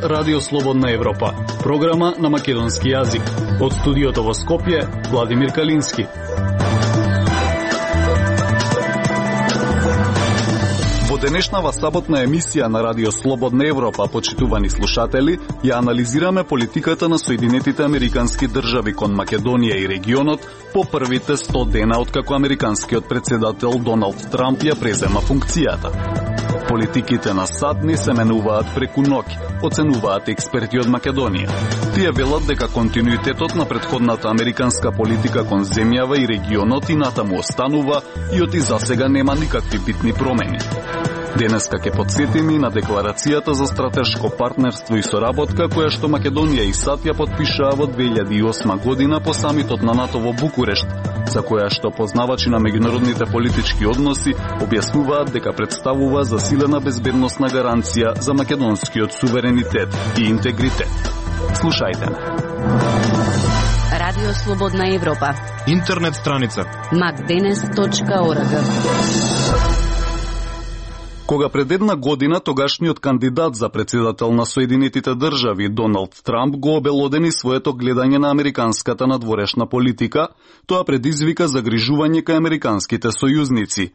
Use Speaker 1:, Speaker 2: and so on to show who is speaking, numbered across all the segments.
Speaker 1: Радио Слободна Европа, програма на македонски јазик. Од студиото во Скопје, Владимир Калински. Во денешнава саботна емисија на Радио Слободна Европа, почитувани слушатели, ја анализираме политиката на Соединетите Американски држави кон Македонија и регионот по првите 100 дена откако американскиот председател Доналд Трамп ја презема функцијата. Политиките на САД не се менуваат преку ноќ, оценуваат експерти од Македонија. Тие велат дека континуитетот на претходната американска политика кон земјава и регионот и натаму останува и оти засега нема никакви битни промени. Денеска ќе потсетиме на декларацијата за стратешко партнерство и соработка која што Македонија и САД ја потпишаа во 2008 година по самитот на НАТО во Букурешт, за која што познавачи на меѓународните политички односи објаснуваат дека представува засилена безбедносна гаранција за македонскиот суверенитет и интегритет. Слушајте ме.
Speaker 2: Радио Слободна Европа.
Speaker 3: Интернет страница
Speaker 2: macdenes.org.
Speaker 1: Кога пред една година тогашниот кандидат за председател на Соединетите држави Доналд Трамп го обелодени своето гледање на американската надворешна политика, тоа предизвика загрижување кај американските сојузници.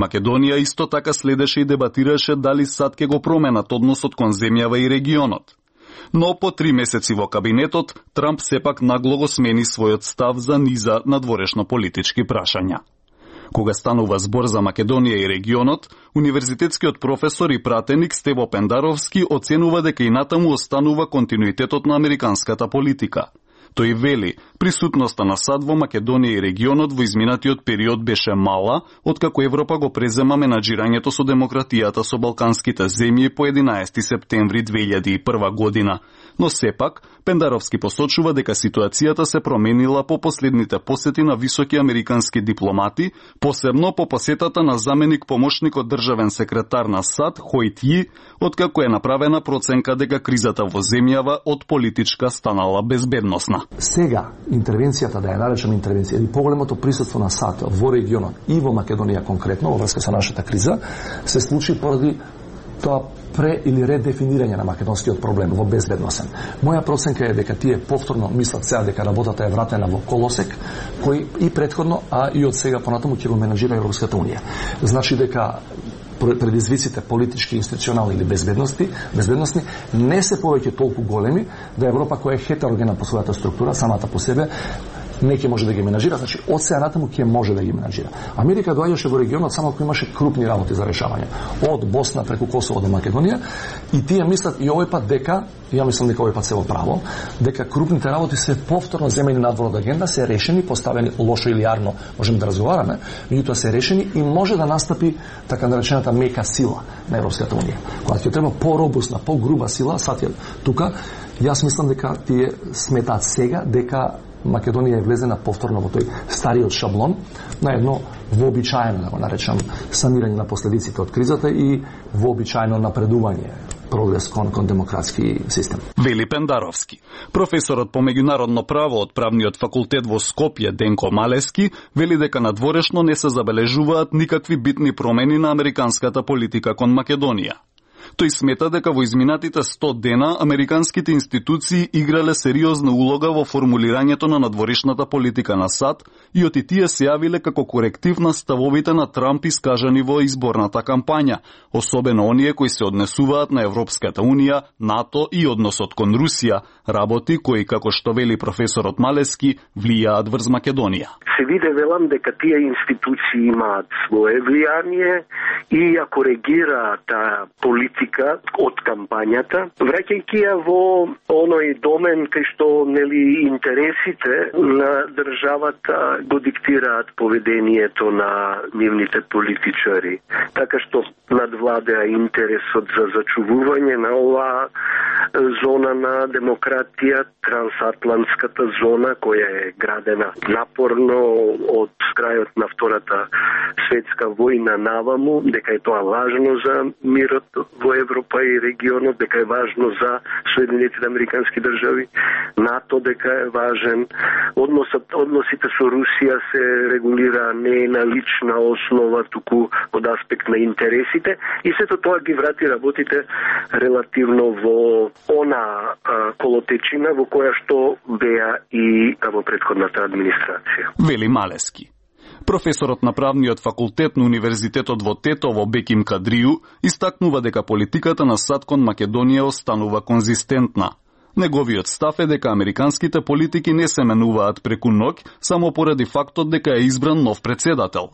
Speaker 1: Македонија исто така следеше и дебатираше дали САД ќе го променат односот кон земјава и регионот. Но по 3 месеци во кабинетот, Трамп сепак нагло го смени својот став за низа надворешно политички прашања. Кога станува збор за Македонија и регионот, универзитетскиот професор и пратеник Стево Пендаровски оценува дека и натаму останува континуитетот на американската политика. Тој вели, присутноста на САД во Македонија и регионот во изминатиот период беше мала, откако Европа го презема менаџирањето со демократијата со балканските земји по 11 септември 2001 година. Но сепак, Пендаровски посочува дека ситуацијата се променила по последните посети на високи американски дипломати, посебно по посетата на заменик помошникот државен секретар на САД Хојт Ји, откако е направена проценка дека кризата во земјава од политичка станала безбедносна.
Speaker 4: Сега, интервенцијата, да ја наречам интервенција, или поголемото присуство на САД во регионот и во Македонија конкретно, во врска со нашата криза, се случи поради тоа или редефинирање на македонскиот проблем во безбедносен. Моја проценка е дека тие повторно мислат сега дека работата е вратена во колосек, кој и претходно, а и од сега понатаму ќе го менаџира Европската унија. Значи дека предизвиците политички, институционални или безбедносни не се повеќе толку големи да Европа која е хетерогена по својата структура, самата по себе, не ќе може да ги менаџира, значи од сега натаму ќе може да ги менаџира. Америка доаѓаше во регионот само ако имаше крупни работи за решавање. Од Босна преку Косово до Македонија, и тие мислат и овој пат дека, ја мислам дека овој пат се во право, дека крупните работи се повторно земени надвор од агенда, се решени, поставени лошо или јарно, можеме да разговараме, меѓутоа се решени и може да настапи така наречената мека сила на Европската унија. Кога ќе треба поробусна, погруба сила, сад тука, јас мислам дека тие сметаат сега дека Македонија е влезена повторно во тој стариот шаблон на едно вообичаено, да го наречам, санирање на последиците од кризата и вообичаено напредување, прогрес кон демократски систем.
Speaker 1: Вели Пендаровски. Професорот по меѓународно право од правниот факултет во Скопје Денко Малески вели дека надворешно не се забележуваат никакви битни промени на американската политика кон Македонија. Тој смета дека во изминатите 100 дена американските институции играле сериозна улога во формулирањето на надворешната политика на САД и оти тие се јавиле како коректив на ставовите на Трамп искажани во изборната кампања, особено оние кои се однесуваат на Европската унија, НАТО и односот кон Русија, работи кои, како што вели професорот Малески, влијаат врз Македонија.
Speaker 5: Се виде, велам, дека тие институции имаат свое влијание и ја коригираат таа политика од кампањата, враќајќи ја во оној домен кај што нели интересите на државата го диктираат поведението на нивните политичари. Така што надвладеа интересот за зачувување на оваа зона на демократија, трансатлантската зона која е градена напорно од крајот на Втората светска војна наваму, дека е тоа важно за мирот во во Европа и регионот, дека е важно за Соединетите американски држави, НАТО дека е важен, односите со Русија се регулира не на лична основа, туку од аспект на интересите, и сето тоа ги врати работите релативно во она колотечина во која што беа и во претходната администрација.
Speaker 1: Вели Малески. Професорот на правниот факултет на Универзитетот во Тетово Беким Кадрију истакнува дека политиката на САД кон Македонија останува конзистентна. Неговиот став е дека американските политики не се менуваат преку ноќ само поради фактот дека е избран нов председател.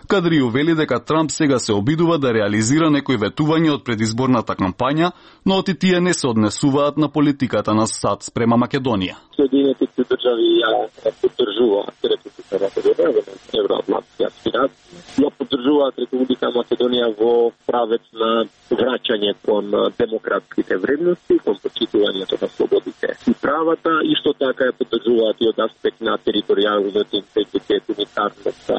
Speaker 1: Кадрију вели дека Трамп сега се обидува да реализира некои ветувања од предизборната кампања, но оти тие не се однесуваат на политиката на САД спрема Македонија.
Speaker 3: Соединетите држави ја поддржуваат Република Македонија во евроатлантски аспирации. Ја поддржуваат Република Македонија во правец на враќање кон демократските вредности, кон почитувањето на слободите и правата, исто така ја поддржуваат и од аспект на територијалниот интегритет, унитарност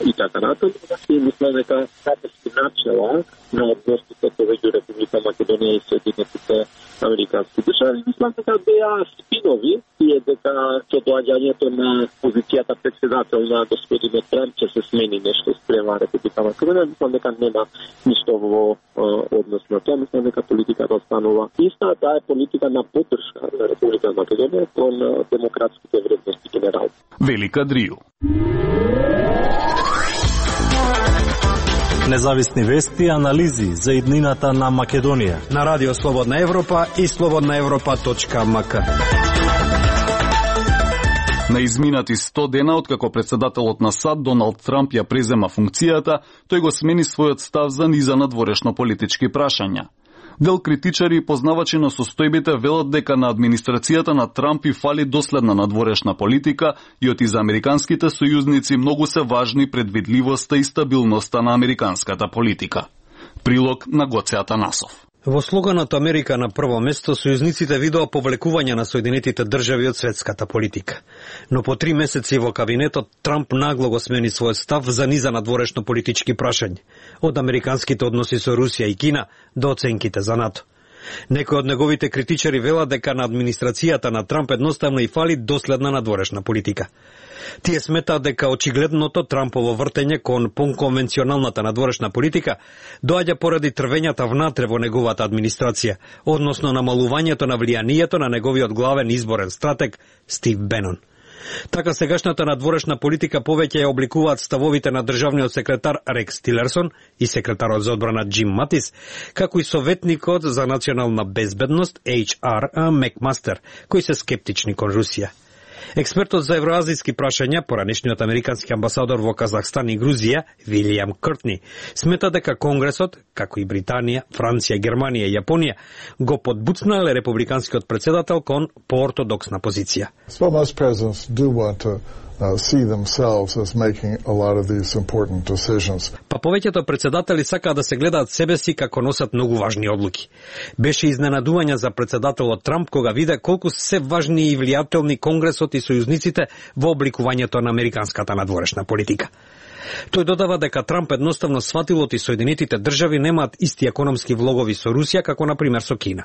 Speaker 3: и така натаму. И мислам дека стратешки начела на односите меѓу Република Македонија и Соединетите американски држави, мислам дека беа спинови и дека со доаѓањето на позицијата председател на господинот Трамп ќе се смени нешто спрема Република Македонија. Мислам дека нема ништо во однос на тоа. Мислам дека политиката останува иста, таа е политика на поддршка на Република Македонија кон демократските вредности генерално.
Speaker 1: Вели Кадрију.
Speaker 6: Независни вести и анализи за иднината на Македонија
Speaker 7: на Радио Слободна Европа и slobodnaevropa.mk.
Speaker 1: На изминати 100 дена откако председателот на САД Доналд Трамп ја презема функцијата, тој го смени својот став за низа надворешно политички прашања. Дел критичари и познавачи на состојбите велат дека на администрацијата на Трамп и фали доследна надворешна политика и оти за американските сојузници многу се важни предвидливоста и стабилноста на американската политика. Прилог на Гоце Атанасов.
Speaker 7: Во слоганот Америка на прво место, сојузниците видоа повлекување на Соединетите држави од светската политика. Но по 3 месеци во кабинетот, Трамп нагло го смени својот став за низа надворешно политички прашања, од американските односи со Русија и Кина до оценките за НАТО. Некои од неговите критичари велат дека на администрацијата на Трамп едноставно и фали доследна надворешна политика. Тие сметаат дека очигледното Трампово вртење кон конвенционалната надворешна политика доаѓа поради трвењата внатре во неговата администрација, односно намалувањето на влијанието на неговиот главен изборен стратег Стив Бенон. Така сегашната надворешна политика повеќе ја обликуваат ставовите на државниот секретар Рекс Тилерсон и секретарот за одбрана Џим Матис, како и советникот за национална безбедност HR Мекмастер, кои се скептични кон Русија. Експертот за евроазијски прашања, поранешниот американски амбасадор во Казахстан и Грузија, Вилијам Къртни, смета дека Конгресот, како и Британија, Франција, Германија и Јапонија, го подбуцнале републиканскиот председател кон поортодоксна позиција.
Speaker 8: See themselves as making a lot of these important decisions.
Speaker 7: Па повеќето председатели сакаат да се гледаат себе си како носат многу важни одлуки. Беше изненадување за председателот Трамп кога виде колку се важни и влијателни Конгресот и сојузниците во обликувањето на американската надворешна политика. Тој додава дека Трамп едноставно сватил оти Соединетите држави немаат исти економски влогови со Русија како на пример со Кина.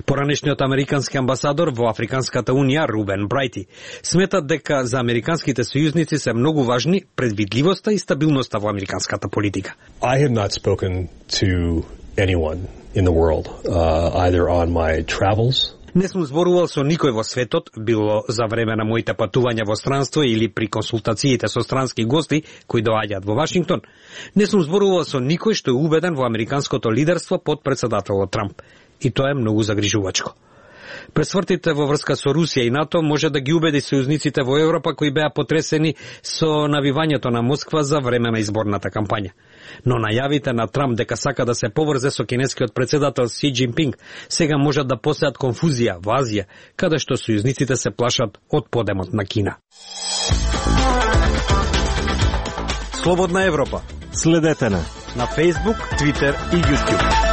Speaker 7: Поранешниот американски амбасадор во Африканската унија Рубен Брайти сметат дека за американските сојузници се многу важни предвидливоста и стабилноста во американската политика.
Speaker 9: I have not spoken to anyone in the world either on my travels.
Speaker 7: Не сум зборувал со никој во светот, било за време на моите патувања во странство или при консултациите со странски гости кои доаѓаат во Вашингтон. Не сум зборувал со никој што е убеден во американското лидерство под председателот Трамп. И тоа е многу загрижувачко. Пресвртите во врска со Русија и НАТО може да ги убеди сојузниците во Европа кои беа потресени со навивањето на Москва за време на изборната кампања. Но најавите на Трамп дека сака да се поврзе со кинескиот председател Си Џинпинг сега можат да посеат конфузија во Азија, каде што сојузниците се плашат од подемот на Кина.
Speaker 6: Слободна Европа. Следете на Facebook, Twitter и YouTube.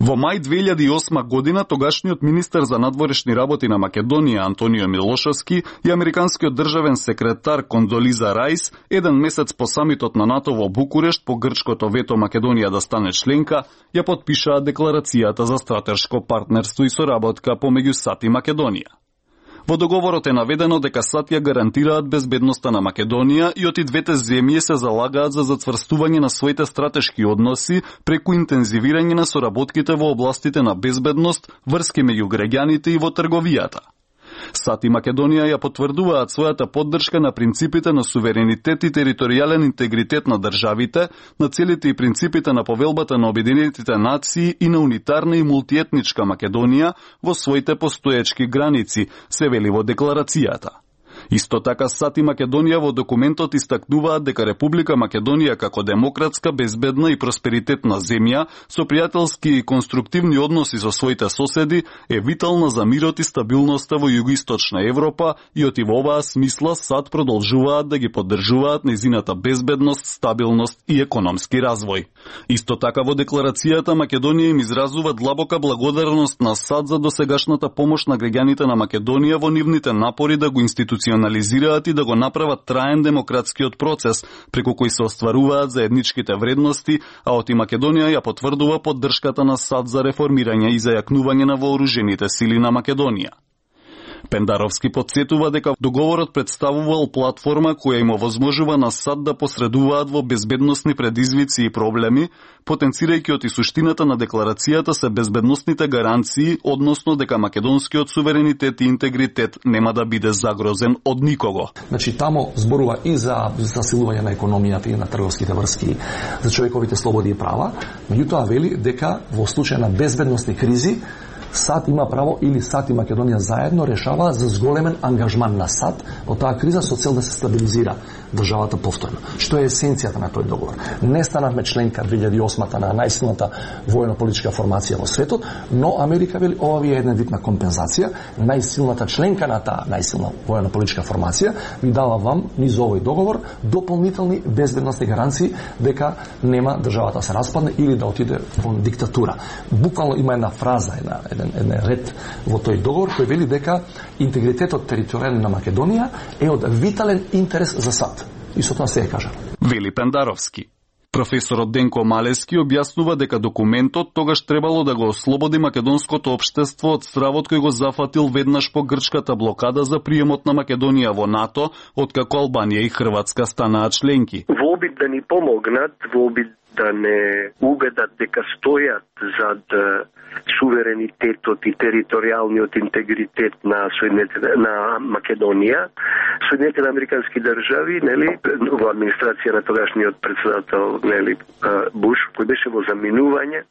Speaker 1: Во мај 2008 година тогашниот министер за надворешни работи на Македонија Антонио Милошевски и американскиот државен секретар Кондолиза Рајс еден месец по самитот на НАТО во Букурешт по грчкото вето Македонија да стане членка, ја потпишаа декларацијата за стратешко партнерство и соработка помеѓу САД и Македонија. Во договорот е наведено дека САД ја гарантираат безбедноста на Македонија и оти двете земји се залагаат за зацврстување на своите стратешки односи преку интензивирање на соработките во областите на безбедност, врски меѓу граѓаните и во трговијата. САД и Македонија ја потврдуваат својата поддршка на принципите на суверенитет и територијален интегритет на државите, на целите и принципите на повелбата на Обединетите нации и на унитарна и мултиетничка Македонија во своите постоечки граници, се вели во декларацијата. Исто така САД и Македонија во документот истакнуваат дека Република Македонија како демократска, безбедна и просперитетна земја со пријателски и конструктивни односи со своите соседи е витална за мирот и стабилноста во југоисточна Европа и оти во оваа смисла САД продолжуваат да ги поддржуваат нејзината безбедност, стабилност и економски развој. Исто така во декларацијата Македонија им изразува длабока благодарност на САД за досегашната помош на граѓаните на Македонија во нивните напори да го институционализираат и да го направат траен демократскиот процес, преку кој се остваруваат заедничките вредности, а оти Македонија ја потврдува поддршката на САД за реформирање и зајакнување на вооружените сили на Македонија. Пендаровски подсетува дека договорот представувал платформа која им овозможува на САД да посредуваат во безбедносни предизвици и проблеми, потенцирајќи оти суштината на декларацијата се безбедносните гаранции, односно дека македонскиот суверенитет и интегритет нема да биде загрозен од никого.
Speaker 4: Значи тамо зборува и за засилување на економијата и на трговските врски, за човековите слободи и права, меѓутоа вели дека во случај на безбедносни кризи САД има право или САД и Македонија заедно решаваат за зголемен ангажман на САД во таа криза со цел да се стабилизира државата повторно. Што е есенцијата на тој договор? Не станавме членка 2008 на најсилната воено-политичка формација во светот, но Америка вели ова ви е една вид на компензација. Најсилната членка на таа најсилна воено-политичка формација ви дава вам низ овој договор дополнителни безбедносни гаранции дека нема државата се распадне или да отиде во диктатура. Буквално има една фраза, еден ред во тој договор кој вели дека интегритетот територијален на Македонија е од витален интерес за САД. И со тоа се е кажа.
Speaker 1: Вели Пендаровски. Професорот Денко Малески објаснува дека документот тогаш требало да го ослободи македонското општество од стравот кој го зафатил веднаш по грчката блокада за приемот на Македонија во НАТО, откако Албанија и Хрватска станаа членки.
Speaker 5: Во обид да ни помогнат, во обид да не убедат дека стојат зад суверенитетот и територијалниот интегритет на Македонија, Соединетите американски држави, нели, во администрација на тогашниот председател, нели, Буш, кој беше во заминување,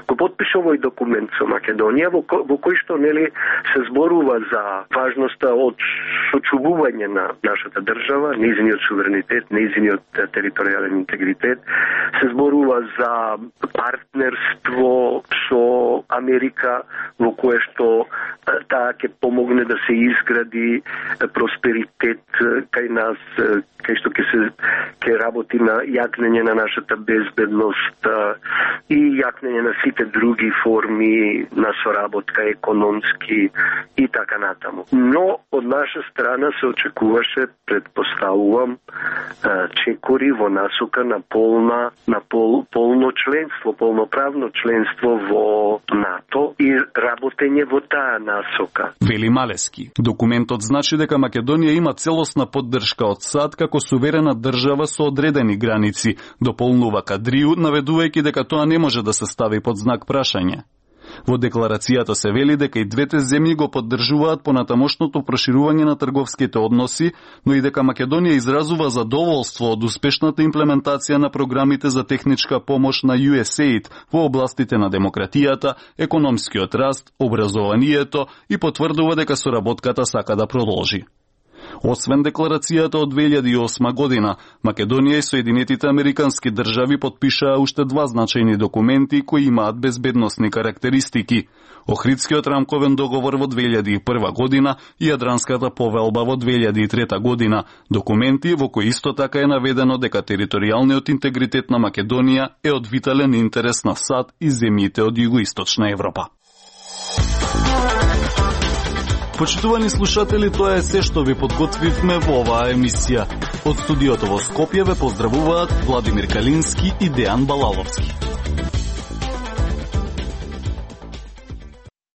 Speaker 5: го потпиша овој документ со Македонија во кој што, нели, се зборува за важноста од сочувување на нашата држава, нејзиниот суверенитет, нејзиниот територијален интегритет, се зборува за партнерство со Америка во кое што таа ќе помогне да се изгради просперитет кај нас, кај што ќе работи на јакнење на нашата безбедност и јакнење на сите други форми на соработка економски и така натаму. Но од наша страна се очекуваше, предпоставувам, чекори во насока на полно членство, полноправно членство во НАТО и работење во таа насока.
Speaker 1: Вели Малески. Документот значи дека Македонија има целосна поддршка од САД како суверена држава со одредени граници, дополнува Кадрiju, наведувајќи дека тоа не може да се стави под знак прашање. Во декларацијата се вели дека и двете земји го поддржуваат понатамошното проширување на трговските односи, но и дека Македонија изразува задоволство од успешната имплементација на програмите за техничка помош на USAID во областите на демократијата, економскиот раст, образованието и потврдува дека соработката сака да продолжи. Освен декларацијата од 2008 година, Македонија и Соединетите Американски држави потпишаа уште 2 значајни документи кои имаат безбедносни карактеристики. Охридскиот рамковен договор во 2001 година и Јадранската повелба во 2003 година, документи во кои исто така е наведено дека територијалниот интегритет на Македонија е од витален интерес на САД и земјите од југоисточна Европа. Почитувани слушатели, тоа е се што ви подготвивме во оваа емисија. Од студиото во Скопје ве поздравуваат Владимир Калински и Дејан Балаловски.